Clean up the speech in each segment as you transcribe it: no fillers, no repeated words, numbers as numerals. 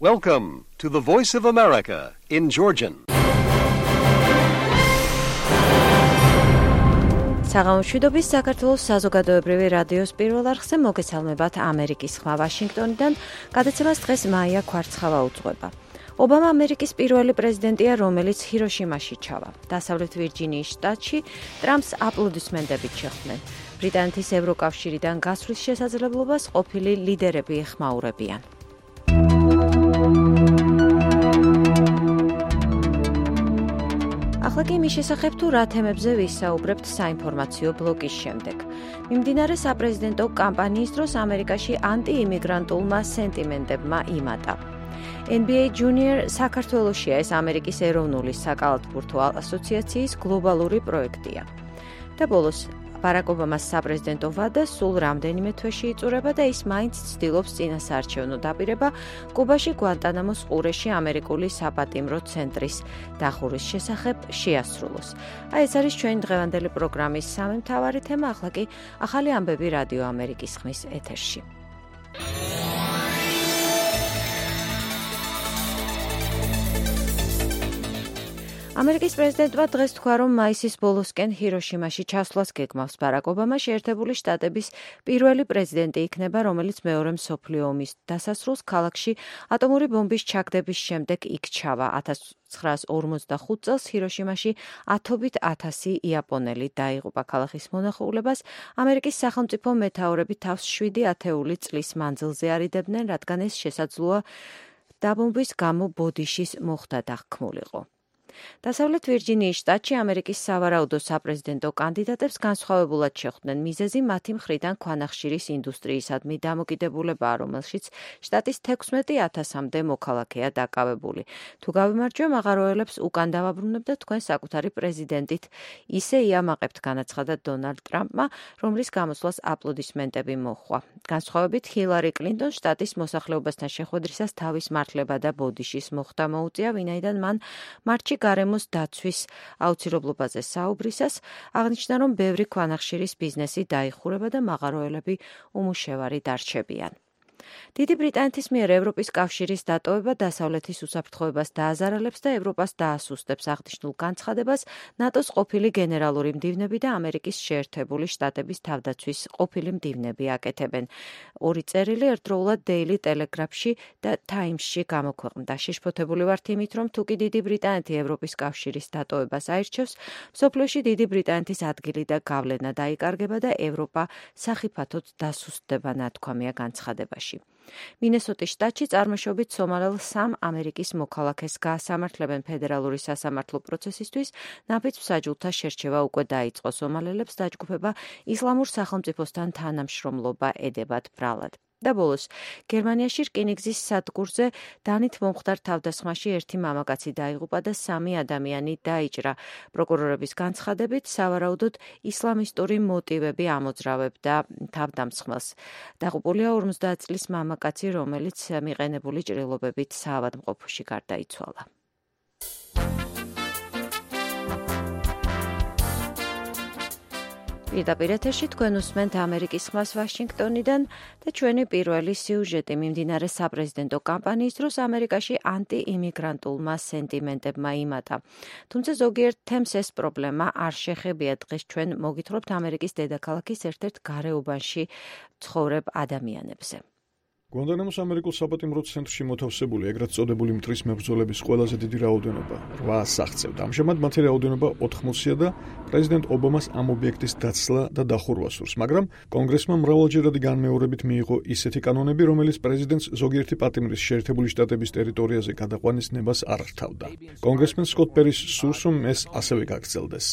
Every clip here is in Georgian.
Welcome to the Voice of America in Georgian. საღამოშვიდობის საქართველოს საზოგადოებრივი რადიოს პირველ არხზე მოგესალმებათ ამერიკის ხმა ვაშინგტონიდან. გადაცემას დღეს მაია კვარცხავა უძღვება. ობამა ამერიკის პირველი პრეზიდენტია, რომელიც ჰიროშიმაში ჩავა. დასავლეთ ვირჯინიის შტატში ტრამპს აპლოდისმენტებით შეხვდნენ. ბრიტანეთის ევროკავშირიდან გასვლის შესაძლებლობას ყოფილი ლიდერები ეხმაურებიან. ახლა კი იმის შესახებ თუ რა თემებზე ვისაუბრებთ საინფორმაციო ბლოკის შემდეგ. მიმდინარე საპრეზიდენტო კამპანიის დროს ამერიკაში ანტიიმიგრანტულმა სენტიმენტებმა იმატა. NBA Junior საქართველოშია ეს ამერიკის ეროვნული საკალათბურთო ასოციაციის გლობალური პროექტია. და ბოლოს ბარაკ ობამას საპრეზიდენტო ვადა სულ რამდენიმე თვეში იწურება და ის მაინც ცდილობს წინასაარჩევნო დაპირება კუბაში გვანტანამოს ყურეში ამერიკული საპატიმრო ცენტრის დახურვის შესახებ შეასრულოს. ეს არის ჩვენი დღევანდელი პროგრამის სამი მთავარი თემა, ახლა კი ახალი ამბები რადიო ამერიკის ხმის ეთერში. ამერიკის პრეზიდენტმა დღეს თქვა, რომ მაისის ბოლოსკენ ჰიროშიმაში ჩასვლას გეგმავს. ბარაკ ობამა შეერთებული შტატების პირველი პრეზიდენტი იქნება, რომელიც მეორე მსოფლიო ომის დასასრულს ქალაქში ატომური ბომბის ჩაგდების შემდეგ იქ ჩავა. 1945 წელს ჰიროშიმაში ათობით 1000 იაპონელი დაიღუპა. ქალაქის მონახულებას ამერიკის სახელმწიფო მეთაურები თავს 7 ათეული წლის მანძილზე არიდებდნენ, რადგან ეს შესაძლოა დაბომბვის გამო ბოდიშის მოხდა დახქმულიყო. დასავლეთ ვირჯინიის შტატში ამერიკის სავარაუდო საპრეზიდენტო კანდიდატებს განსხვავებულად შეხვდნენ. მიზეზი მათი მხრიდან ქვანახშირის ინდუსტრიისადმი დამოკიდებულებაა, რომელშიც შტატის 16,000-მდე მოქალაქეა დაკავებული. თუ გავიმარჯვე, მაღაროელებს უკან დავაბრუნებ და თქვენ საკუთარი პრეზიდენტით ისე იამაყებთ, განაცხადა დონალდ ტრამპმა, რომლის გამოსვლას აპლოდისმენტები მოჰყვა. განსხვავებით ჰილარი კლინტონ შტატის მოსახლეობასთან შეხვედრისას თავის მართლება და ბოდიშის მოხდა მოუწია, ვინაიდან მან მარტში გარემოს დაცვის აუცილებლობაზე საუბრისას აღნიშნა, რომ ბევრი ქვანახშირის ბიზნესი დაიხურება და მაღაროელები უმუშევარი დარჩებიან. დიდი ბრიტანეთის მიერ ევროპის კავშირის დატოვება დასავლეთის უსაფრთხოებას დააზარალებს და ევროპას დაასუსტებს. აღნიშნულ განცხადებას ნატოს ყოფილი გენერალური მდივნები და ამერიკის შეერთებული შტატების თავდაცვის ყოფილი მდივნები აკეთებენ. ორი წერილი ერთდროულად Daily Telegraph-ში და Times-ში გამოქვეყნდა. შეშფოთებული ვართ იმით, რომ თუ კი დიდი ბრიტანეთი ევროპის კავშირის დატოვებას აირჩევს, მსოფლიოში დიდი ბრიტანეთის ადგილი და გავლენა დაიკარგება და ევროპა სახიფათოდ დასუსტდება, ნათქვამია განცხადებაში. მინესოტის შტატში წარმოშობით სომალელ 3 ამერიკის მოქალაქეს გაასამართლებენ ფედერალური სასამართლო პროცესისთვის. ნაფიც მსაჯულთა შერჩევა უკვე დაიწყო. სომალელებს დაჯგუფება ისლამურ სახელმწიფოსთან თანამშრომლობა ედებათ ბრალად. და ბოლოს, გერმანიაში რკინიგზის სადგურზე დანით მომხდარ თავდასხმაში ერთი მამაკაცი დაიღუპა და 3 ადამიანი დაიჭრა. პროკურორების განცხადებით, სავარაუდოდ ისლამისტური მოტივები ამოძრავებდა თავდამსხმელს. დაღუპულია 50 წლის მამაკაცი, რომელიც მიყენებული ჭრილობებით საავადმყოფოში გარდაიცვალა. პირდაპირ ეთერში თქვენ უსმენთ ამერიკის ხმას ვაშინგტონიდან და ჩვენი პირველი სიუჟეტი. მიმდინარე საპრეზიდენტო კამპანიის დროს ამერიკაში ანტიიმიგრანტულმა სენტიმენტებმა იმატა. თუმცა ზოგიერთ თემს ეს პრობლემა არ შეხებია. დღეს ჩვენ მოგითხრობთ ამერიკის დედაქალაქის ერთ-ერთ გარეუბანში ცხოვრებ ადამიანებზე. გვანტანამოს ამერიკულ საპატიმრო ცენტრში მოთავსებული ეგრეთ წოდებული მტრის მებრძოლების ყველაზე დიდი რაოდენობა 8 აღწევდა. ამჟამად მათი რაოდენობა 80-ია და პრეზიდენტ ობამას ამ ობიექტის დაცლა და დახურვა სურს, მაგრამ კონგრესმა მრავალჯერადი განმეორებით მიიღო ისეთი კანონები, რომელიც პრეზიდენტს ზოგიერთი პატიმრის შეერთებული შტატების ტერიტორიაზე გადაყვანის ნებას არ რთავდა. კონგრესმენ სკოტ პერის სურს, რომ ეს ასევე გაგრძელდეს.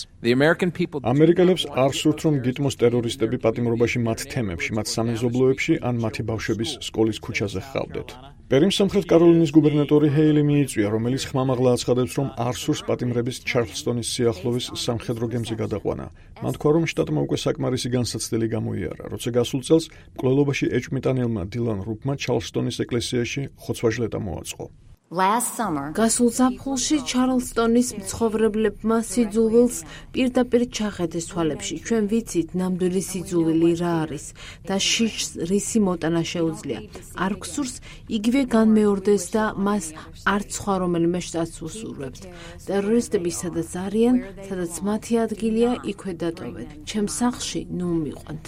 ამერიკელებს არ სურთ, რომ გიტმოს ტერორისტები პატიმრობაში მათ თემებში, მათ სამეზობლოებში ან მათი ბავშვების სკოლის ქუჩაზე ხავდეთ. პერიმ სამხრეთ კაროლინის გუბერნატორი ჰეილი მიიწვია, რომელიც ხმამაღლა აცხადებს, რომ არ სურს პატიმრების ჩარლსტონის სიახლოვის სამხედრო გემზე გადაყვანა. მან თქვა, რომ შტატმა უკვე საკმარისი განსაცდელი გამოიარა, როცა გასულ წელს მკვლელობაში ეჭვმიტანილმა დილან რუფმა ჩარლსტონის ეკლესიაში ხოცვა-ჟლეტა მოაწყო. გასულ ზაფხულში ჩარლსტონის მცხოვრებლებმა სიძულვილს პირდაპირ ჩახედეს თვალებში. ჩვენ ვიცით ნამდვილი სიძულვილი რა არის და შიშს რისი მოტანა შეუძლია. არ გსურს იგივე განმეორდეს და მას არც სხვა რომელიმე შტატს უსურვებთ. ტერორისტები სადაც არიან, სადაც მათი ადგილია, იქვე დატოვეთ. ჩემ სახლში ნუ მიყვანთ.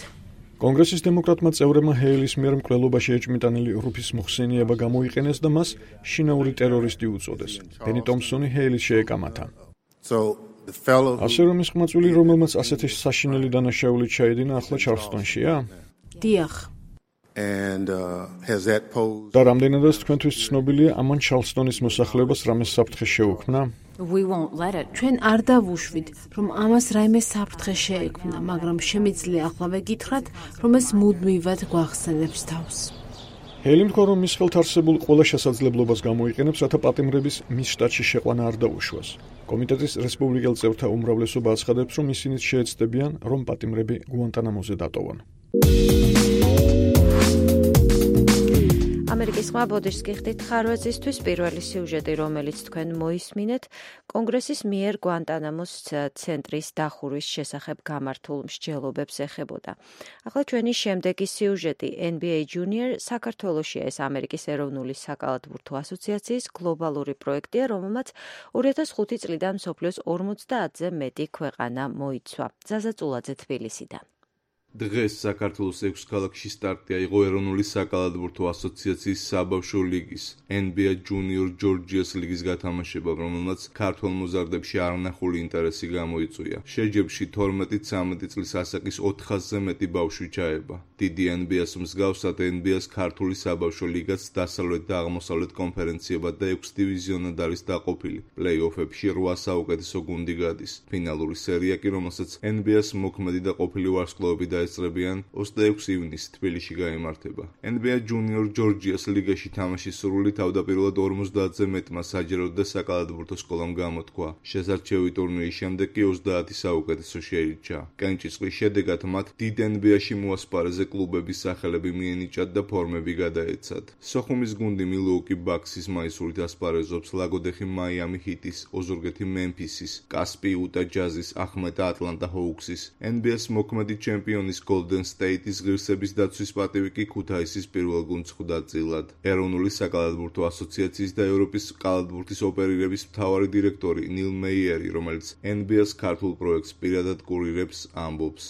კონგრესის დემოკრატმა წევრებმა ჰეილის მიერ მკვლელობაში ეჭმიტანილი რუფის მოხსენიება გამოიყენეს და მას შინაური ტერორისტი უწოდეს. ბენი ტომპსონი ჰეილის შეეკამათა. ასე რომ ის ყმაწვილი, რომელმაც ასეთი საშინელი დანაშაული ჩაედინა, ახლა ჩარლსტონშია? დიახ. და რამდენადაც თქვენთვის ცნობილია, ამან ჩარლსტონის მოსახლეობას რამე საფრთხე შეუქმნა? ჩვენ არ დავუშვით, რომ ამას რაიმე საფრთხე შეექმნა, მაგრამ შემიძლია ახლა გითხრათ, რომ ეს მუდმივად გვახსენებს თავს. ჰეილი თქვა, რომ მის ხელთ არსებულ ყველა შესაძლებლობას გამოიყენებს, რათა პატიმრების მის შტატში შეყვანა არ დაუშვას. კომიტეტის რესპუბლიკელ წევრთა უმრავლესობა აცხადებს, რომ ისინიც შეეცდებიან, რომ პატიმრები გუანტანამოზე დატოვონ. ამერიკის ხმა ბოდიშს გიხდით ხარვეზისთვის პირველი სიუჟეტი, რომელიც თქვენ მოისმინეთ, კონგრესის მიერ გუანტანამოს ცენტრის დახურვის შესახებ გამართულ მსჯელობებს ეხებოდა. ახლა ჩვენი შემდეგი სიუჟეტი NBA Junior საქართველოშია ეს ამერიკის ეროვნული საკალათბურთო ასოციაციის გლობალური პროექტია, რომელმაც 2005 წლიდან მსოფლიოს 50-ზე მეტი ქვეყანა მოიცვა. ზაზა წულაძე თბილისიდან. დღეს საქართველოს 6 ქალაქში სტარტი აიღო ეროვნული საკალათბურთო ასოციაციის საბავშვო ლიგის NBA Junior Georgia's ლიგის გათამაშებამ, რომელმაც ქართველ მოზარდებში არნახული ინტერესი გამოიწვია. შეჯიბრში 12-13 წლის ასაკის 400-ზე მეტი ბავშვი ჩაება. დიდი NBA-ს მსგავსად NBA-ს ქართული საბავშვო ლიგაც დასავლეთ და აღმოსავლეთ კონფერენციებად და 6 დივიზიონად არის დაყოფილი. პლეი-ოფებში 8 საუკეთესო გუნდი გადის. ფინალური სერია კი, რომელსაც NBA-ს მოქმედი და ყოფილი ვარსკვლავები დაესწრებიან, 26 ივნისს თბილისში გაიმართება. NBA Junior Georgia's ლიგაში თამაშის სურვილი თავდაპირველად 50-ზე მეტმა საჯარო და საკალათბურთო სკოლამ გამოთქვა. შესარჩევი ტურნირის შემდეგ კი 30 საუკეთესო შეირჩა. კენჭისყრის შედეგად მათ დიდ NBA-ში მოასპარეზე კლუბების სახელები მიენიჭათ და ფორმები გადაეცათ. სოხუმის გუნდი მილუოკი ბაქსის მაისურით ასპარეზობს, ლაგოდეხი მაიამი ჰიტის, ოზურგეთი მემფისის, კასპი იუტა ჯაზის, ახმეტა ატლანტა ჰოუქსის, NBA-ს მოქმედი ჩემპიონის Golden State-ის ღირსების დაცვის პატივი კი ქუთაისის პირველ გუნდს ხვდა წილად. ეროვნული საკალათბურთო ასოციაციის და ევროპის კალათბურთის ოპერირების მთავარი დირექტორი ნილ მეიერი, რომელიც NBA-ს ქართულ პროექტს პირადად კურირებს, ამბობს.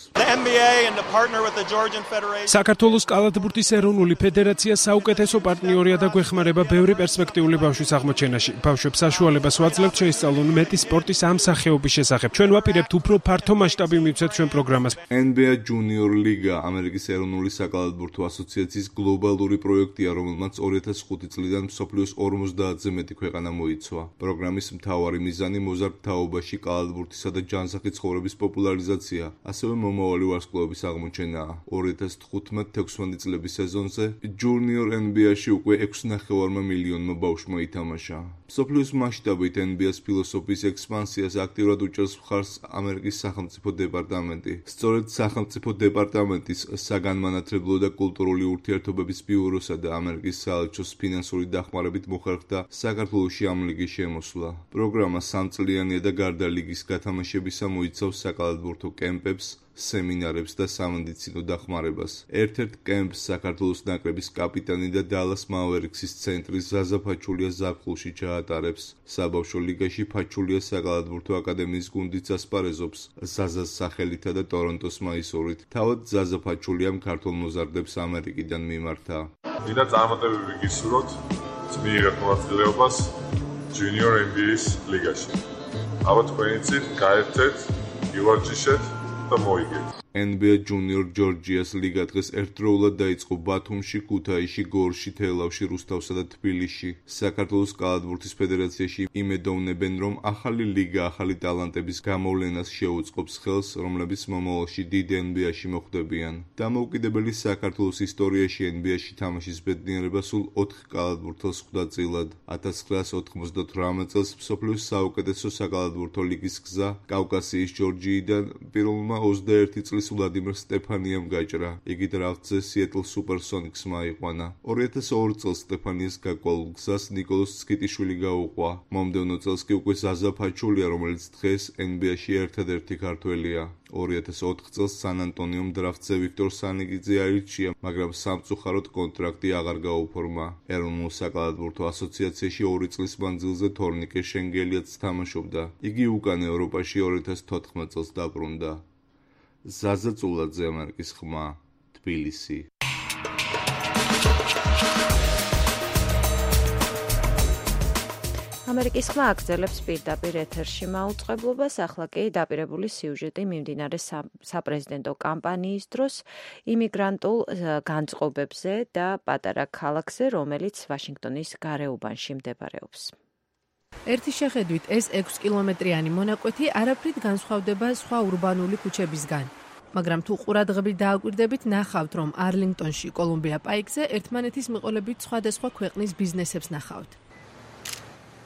საქართველოს კალათბურთის ეროვნული ფედერაცია საუკეთესო პარტნიორია და გვეხმარება ბევრი პერსპექტიული ბავშვის აღმოჩენაში. ბავშვებს საშუალებას ვაძლევთ შეისწავლონ მეტი სპორტის ამ სახეობის შესახებ. ჩვენ ვაპირებთ უფრო ფართო მასშტაბი მივცეთ ჩვენ პროგრამას. NBA Junior ლიგა ამერიკის ეროვნული საკალათბურთო ასოციაციის გლობალური პროექტია, რომელმაც 2005 წლიდან მსოფლიოს 50-ზე მეტი ქვეყანა მოიცვა. პროგრამის მთავარი მიზანი მოზარდ თაობაში კალათბურთისა და ჯანსაღი ცხოვრების პოპულარიზაცია, ასევე მომავალი ვარსკვლავების აღმოჩენაა. 2015-16 წლების სეზონზე Junior NBA-ში უკვე 6,5 მილიონმა ბავშვმა ითამაშა. მსოფლიოს მასშტაბით NBA-ს ფილოსოფიის ექსპანსიას აქტიურად უჭერს მხარს ამერიკის სახელმწიფო დეპარტამენტი. სწორედ სახელმწიფო დეპარტამენტის საგანმანათლებლო და კულტურული ურთიერთობების ბიუროსა და ამერიკის საელჩოს ფინანსური დახმარებით მოხერხდა საქართველოში ამ ლიგის შემოსვლა. პროგრამა 3 წლიანია და გარდა ლიგის გათამაშებისა მოიცავს საკალათბურთო კემპებს, სემინარებს და სამედიცინო დახმარებას. ერთ-ერთ კემპს საქართველოს ნაკრების კაპიტანი და დალას მავერიქსის ცენტრი ზაზა ფაჩულია ზაფხულში ჩაატარებს. საბავშვო ლიგაში ფაჩულია საკალათბურთო აკადემიის გუნდიც ასპარეზობს ზაზას სახელითა და ტორონტოს მაისურით. თავად ზაზა ფაჩულიამ ქართულ მოზარდებს ამერიკიდან მიმართა. მინდა წარმატებები გისურვოთ მიიღეთ მონაწილეობას Junior NBA-ს ლიგაში. ალბათ თქვენიცით გაერთეთ, ივარჯიშეთ და მოიგეთ. NBA Junior Georgia's ლიგა დღეს ერთდროულად დაიწყო ბათუმში, ქუთაისში, გორში, თელავში, რუსთავსა და თბილისში. საქართველოს კალათბურთის ფედერაციაში იმედოვნებენ, რომ ახალი ლიგა ახალი ტალანტების გამოვლენას შეუწყობს ხელს, რომლებიც მომავალში დიდ NBA-ში მოხვდებიან. დამოუკიდებელი საქართველოს ისტორიაში NBA-ში თამაშის ბედნიერება სულ 4 კალათბურთელს ხვდა წილად. 1998 წელს მსოფლიოს საუკეთესო საკალათბურთო ლიგის გზა კავკასიის ჯორჯიიდან პირველმა 21 წლის წლის ვლადიმერ სტეფანიამ გაჭრა. იგი დრაფტზე Seattle Supersonics-მა აიყვანა. 2002 წელს სტეფანიას გაკვალულ გზას ნიკოლოზ ცკიტიშვილი გაუყვა. მომდევნო წელს კი უკვე ზაზა ფაჩულია, რომელიც დღეს NBA-ში ერთადერთი ქართველია. 2004 წელს სან-ანტონიომ დრაფტზე ვიქტორ სანიგიძე აირჩია, მაგრამ სამწუხაროდ კონტრაქტი აღარ გაუფორმა. ეროვნულ საკალათბურთო ასოციაციაში 2 წლის მანძილზე თორნიკე შენგელიაც თამაშობდა. იგი უკან ევროპაში 2014 წელს დაბრუნდა. ზაზა წულაძე, ამერიკის ხმა, თბილისი. ამერიკის ხმა აგრძელებს პირდაპირ ეთერში მაუწყებლობას, ახლა კი დაპირებული სიუჟეტი მიმდინარე საპრეზიდენტო კამპანიის დროს იმიგრანტულ განწყობებზე და პატარა ქალაქზე, რომელიც ვაშინგტონის გარეუბანში მდებარეობს. ერთი შეხედვით ეს 6 კილომეტრიანი მონაკვეთი არაფრით განსხვავდება სხვა ურბანული ქუჩებისგან. მაგრამ თუ ყურადღებით დააკვირდებით, ნახავთ, რომ არლინგტონში, კოლუმბია პაიკზე ერთმანეთის მიყოლებით სხვადასხვა ქვეყნის ბიზნესებს ნახავთ.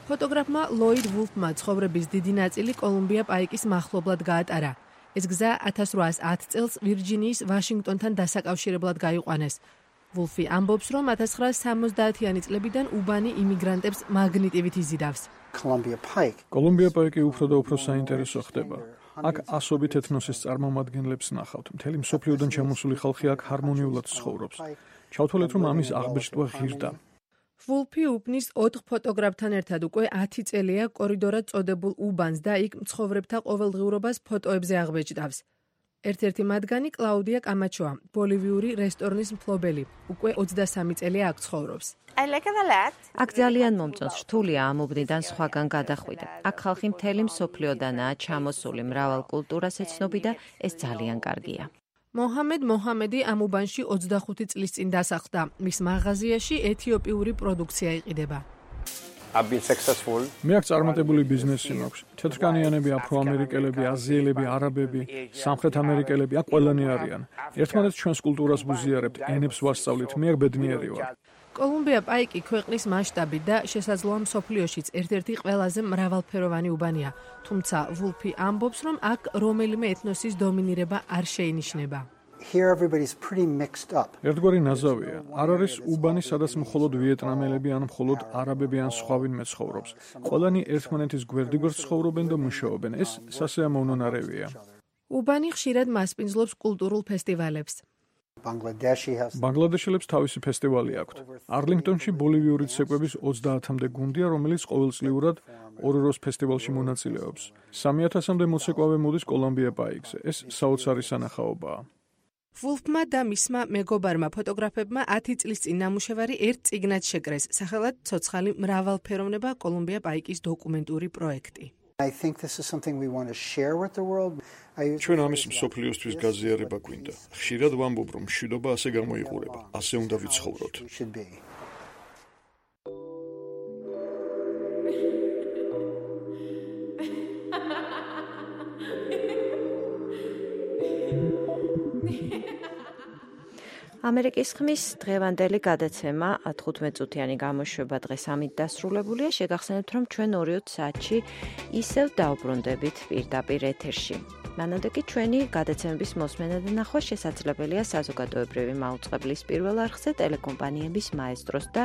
ფოტოგრაფმა ლოიდ ვულფმა ცხოვრების დიდი ნაწილი კოლუმბია პაიკის მახლობლად გაატარა. ეს გზა 1810 წელს ვირჯინიის ვაშინგტონთან დასაკავშირებლად გაიყვანეს. ვულფი ამბობს, რომ 1970-იანი წლებიდან უბანი იმიგრანტებს მაგნიტივით იზიდავს. კოლუმბია პაიკი უფრო და უფრო საინტერესო ხდება. აქ ასობით ეთნოსის წარმომადგენლებს ნახავთ. მთელი მსოფლიოდან ჩამოსული ხალხი აქ ჰარმონიულად ცხოვრობს. ჩავთვალეთ, რომ ამის აღბეჭდვა ღირდა. ვულფი უბნის 4 ფოტოგრაფთან ერთად უკვე 10 წელია კორიდორად წოდებულ უბანს და იქ მცხოვრებთა ყოველდღიურობას ფოტოებზე აღბეჭდავს. ერთ-ერთი მათგანი კლაუდია კამაჩოა, ბოლივიური რესტორნის მფლობელი, უკვე 23 წელია აქ ცხოვრობს. აქ ძალიან მომწონს, რთულია ამ უბნიდან სხვაგან გადახვიდა. აქ ხალხი მთელი მსოფლიოდანაა ჩამოსული, მრავალ კულტურას ეცნობი და ეს ძალიან კარგია. მოჰამედი ამ უბანში 25 წლის წინ დასახლდა. მის მაღაზიაში ეთიოპიური პროდუქცია იყიდება. მე აქ წარმატებული ბიზნესი მაქვს. თეთრკანიანები, აფროამერიკელები, აზიელები, არაბები, სამხრეთ ამერიკელები აქ ყველანი არიან. ერთმანეთს ჩვენს კულტურას ვუზიარებთ, ენებს ვასწავლით, მე აქ ბედნიერი ვარ. კოლუმბია პაიკი ქვეყნის მასშტაბით და შესაძლოა მსოფლიოშიც ერთ-ერთი ყველაზე მრავალფეროვანი უბანია. თუმცა ვულფი ამბობს, რომ აქ რომელიმე ეთნოსის დომინირება არ შეინიშნება. ერთგვარი ნაზავია. არ არის უბანი, სადაც მხოლოდ ვიეტნამელები ან მხოლოდ არაბები ან სხვა ვინმე ცხოვრობს. ყველანი ერთმანეთის გვერდიგვერდ ცხოვრობენ და მუშაობენ. ეს სასიამოვნო ნარევია. უბანი ხშირად მასპინძლობს კულტურულ ფესტივალებს. ბანგლადეშელებს თავისი ფესტივალი აქვთ. არლინგტონში ბოლივიური ცეკვების 30-მდე გუნდია, რომელიც ყოველწლიურად ოროროს ფესტივალში მონაწილეობს. 3000-მდე მოცეკვავე მოდის კოლუმბია პაიკზე. ეს საოცარი სანახაობაა. ვულფმა და მისმა მეგობარმა ფოტოგრაფებმა 10 წლის წინ ნამუშევარი ერთ წიგნად შეკრეს, სახელად ცოცხალი მრავალფეროვნება კოლუმბია პაიკის დოკუმენტური პროექტი. ჩვენ ამის მსოფლიოსთვის გაზიარება გვინდა. ხშირად ვამბობ, რომ მშვიდობა ასე გამოიყურება, ასე უნდა ვიცხოვროთ. ამერიკის ხმის დღევანდელი გადაცემა 15 წუთიანი გამოშვება დღეს ამით დასრულებულია. შეგახსენებთ, რომ ჩვენ 2 საათში ისევ დავბრუნდებით პირდაპირ ეთერში. მანამდე კი ჩვენი გადაცემების მოსმენა და ნახვა შესაძლებელია საზოგადოებრივი მაუწყებლის პირველ არხზე, ტელეკომპანიების მაესტროს და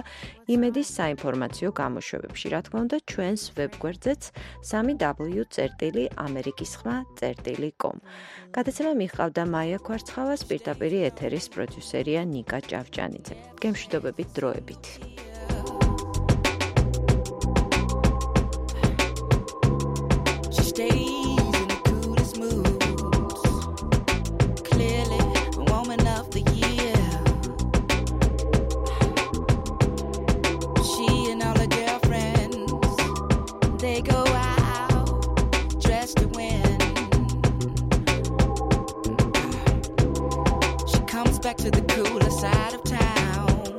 იმედის საინფორმაციო გამოშვებებში. რა თქმა უნდა, ჩვენს ვებგვერდზეც www.amerikiskhma.com. გადაცემა მიჰყავდა მაია ქვარცხავას, პირდაპირ ეთერის პროდიუსერია ნიკა ჭავჭანიძე. გემშვიდობებით დროებით. Back to the cooler side of town.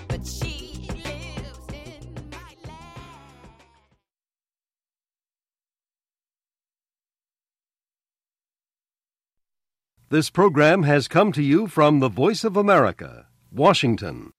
But she lives in my land. This program has come to you from the Voice of America, Washington.